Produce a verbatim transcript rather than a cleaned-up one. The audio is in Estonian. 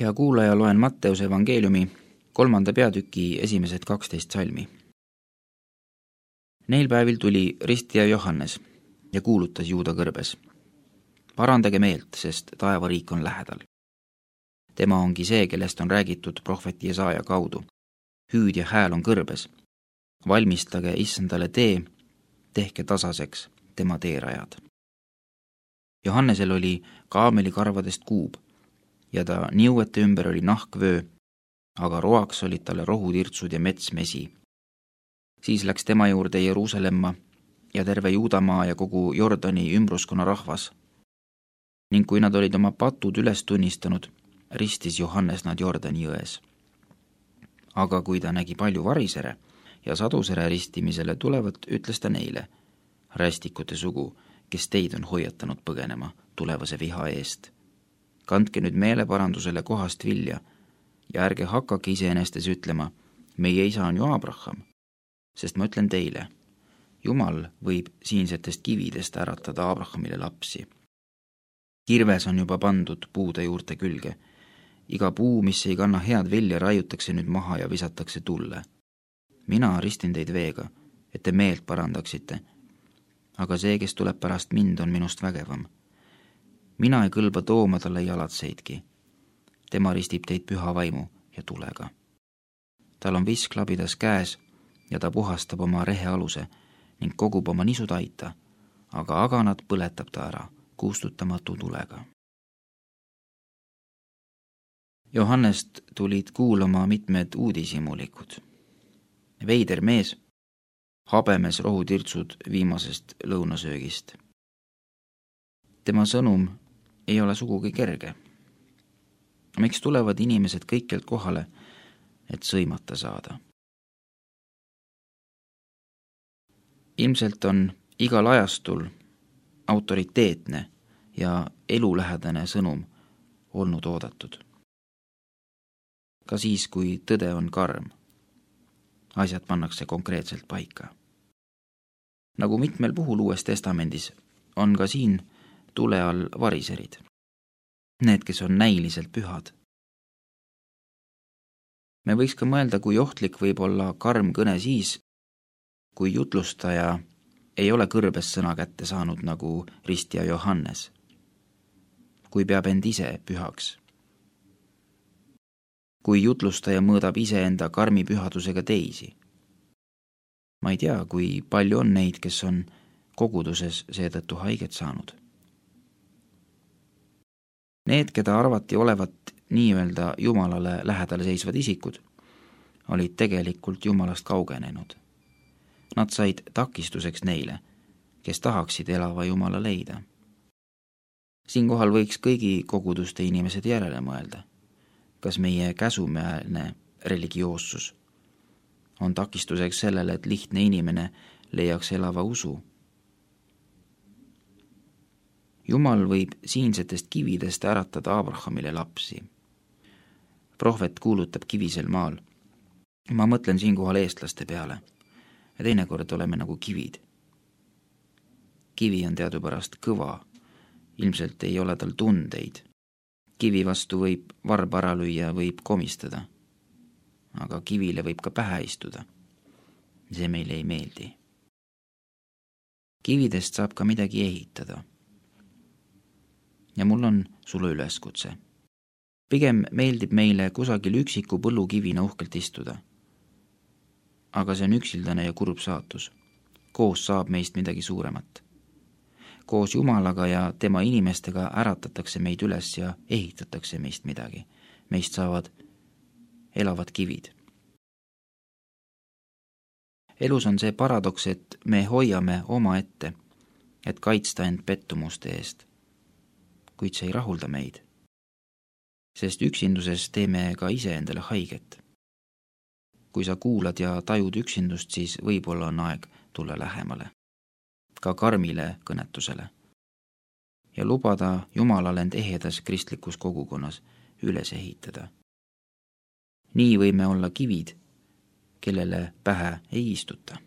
Hea kuulaja, loen Matteuse evangeeliumi kolmanda peatüki esimesed kaksteist salmi. Neil päevil tuli ristija Johannes ja kuulutas Juuda kõrbes. Parandage meelt, sest taevariik on lähedal. Tema ongi see, kellest on räägitud prohveti Jesaaja kaudu. Hüüdja hääl on kõrbes. Valmistage issandale tee, tehke tasaseks tema teerajad. Johannesel oli kaamelikarvadest kuub ja ta niuete ümber oli nahkvöö, aga roaks olid talle rohutirtsud ja metsmesi. Siis läks tema juurde Jeruusalemma ja terve Juudamaa ja kogu Jordani ümbruskonna rahvas. Ning kui nad olid oma patud üles tunnistanud, ristis Johannes nad Jordani jões. Aga kui ta nägi palju varisere ja sadusere ristimisele tulevat, ütles ta neile: rästikute sugu, kes teid on hoiatanud põgenema tulevase viha eest. Kandke nüüd meeleparandusele kohast vilja ja ärge hakake iseenestes ütlema: meie isa on ju Abraham, sest ma ütlen teile, Jumal võib siinsetest kividest äratada Abrahamile lapsi. Kirves on juba pandud puude juurte külge. Iga puu, mis ei kanna head vilja, raiutakse nüüd maha ja visatakse tulle. Mina ristin teid veega, et te meelt parandaksite, aga see, kes tuleb pärast mind, on minust vägevam. Mina ei kõlba tooma talle jalatseidki. Tema ristib teid püha vaimu ja tulega. Tal on visklabidas käes ja ta puhastab oma rehealuse ning kogub oma nisutaita, aga aganat põletab ta ära kustutamatu tulega. Johannest tulid kuulama mitmed uudishimulikud. Veider mees, habemes rohutirtsud viimasest lõunasöögist. Tema sõnum ei ole sugugi kerge. Miks tulevad inimesed kõikjalt kohale, et sõimata saada? Ilmselt on igal ajastul autoriteetne ja elulähedane sõnum olnud oodatud. Ka siis, kui tõde on karm, asjad pannakse konkreetselt paika. Nagu mitmel puhul Uues Testamendis, on ka siin tule all variserid. Need, kes on näiliselt pühad. Me võiks ka mõelda, kui ohtlik võib olla karm kõne siis, kui jutlustaja ei ole kõrbes sõna kätte saanud nagu ristija Johannes, kui peab end ise pühaks. Kui jutlustaja mõõdab iseenda karmi pühadusega teisi. Ma ei tea, kui palju on neid, kes on koguduses seetõttu haiget saanud. Need, keda arvati olevat nii-öelda Jumalale lähedal seisvad isikud, olid tegelikult Jumalast kaugenenud. Nad said takistuseks neile, kes tahaksid elava Jumala leida. Siinkohal võiks kõigi koguduste inimesed järele mõelda, kas meie käsumeelne religioossus on takistuseks sellele, et lihtne inimene leiaks elava usu. Jumal võib siinsetest kividest äratada Abrahamile lapsi. Prohvet kuulutab kivisel maal. Ma mõtlen siinkohal eestlaste peale. Ja teinekord oleme nagu kivid. Kivi on teadupärast kõva, ilmselt ei ole tal tundeid. Kivi vastu võib varb ära lüüa, võib komistada. Aga kivile võib ka pähe istuda. See meile ei meeldi. Kividest saab ka midagi ehitada. Ja mul on sulle üleskutse. Pigem meeldib meile kusagil üksiku põllukivina uhkelt istuda. Aga see on üksildane ja kurb saatus. Koos saab meist midagi suuremat. Koos Jumalaga ja tema inimestega äratatakse meid üles ja ehitatakse meist midagi. Meist saavad elavad kivid. Elus on see paradoks, et me hoiame oma ette, et kaitsta end pettumuste eest, kuid see ei rahulda meid, sest üksinduses teeme ka ise endale haiget. Kui sa kuulad ja tajud üksindust, siis võib-olla on aeg tulla lähemale, ka karmile kõnetusele ja lubada Jumalale end ehedas kristlikus kogukonnas üles ehitada. Nii võime olla kivid, kellele pähe ei istuta.